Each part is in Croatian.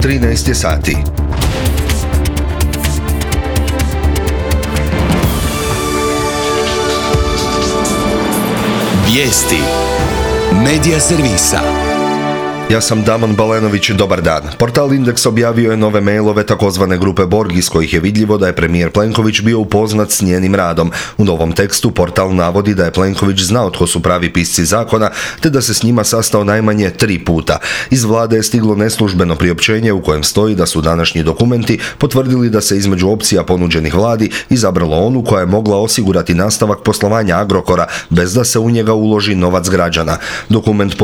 13 je sati. Vijesti Medija servisa. Ja sam Damon Balenović, dobar dan. Portal Indeks objavio je nove mailove takozvane grupe Borg iz kojih je vidljivo da je premijer Plenković bio upoznat s njenim radom. U novom tekstu portal navodi da je Plenković znao tko su pravi pisci zakona, te da se s njima sastao najmanje 3 puta. Iz vlade je stiglo neslužbeno priopćenje u kojem stoji da su današnji dokumenti potvrdili da se između opcija ponuđenih vladi izabralo onu koja je mogla osigurati nastavak poslovanja Agrokora bez da se u njega uloži novac građana. Dokument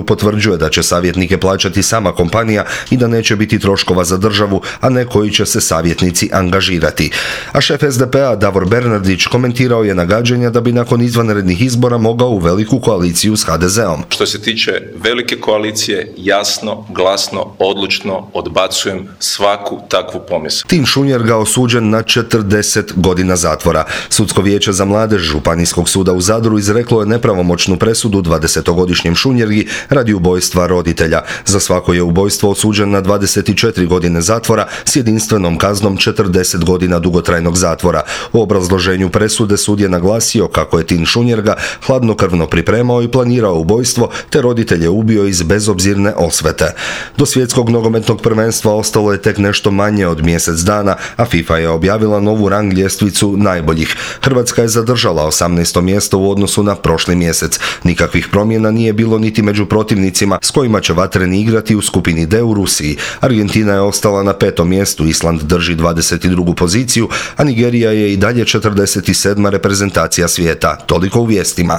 potvrđuje da će savjetnike plaćati sama kompanija i da neće biti troškova za državu, a ne koji će se savjetnici angažirati. A šef SDP-a Davor Bernardić komentirao je nagađanja da bi nakon izvanrednih izbora mogao u veliku koaliciju s HDZ-om. Što se tiče velike koalicije, jasno, glasno, odlučno odbacujem svaku takvu pomisao. Tim Šunjerga osuđen na 40 godina zatvora. Sudsko vijeće za mladež Županijskog suda u Zadru izreklo je nepravomoćnu presudu 20-godišnjem Šunjergi radi ubojstva roditelja. Za svako je ubojstvo osuđen na 24 godine zatvora s jedinstvenom kaznom 40 godina dugotrajnog zatvora. U obrazloženju presude sud je naglasio kako je Tin Šunjerga hladnokrvno pripremao i planirao ubojstvo, te roditelje ubio iz bezobzirne osvete. Do svjetskog nogometnog prvenstva ostalo je tek nešto manje od mjesec dana, a FIFA je objavila novu rang ljestvicu najboljih. Hrvatska je zadržala 18. mjesto u odnosu na prošli mjesec. Nikakvih promjena nije bilo niti među protivnicima s kojima će vatreni igrati u skupini D u Rusiji. Argentina je ostala na 5. mjestu, Island drži 22. poziciju, a Nigerija je i dalje 47. reprezentacija svijeta. Toliko u vijestima.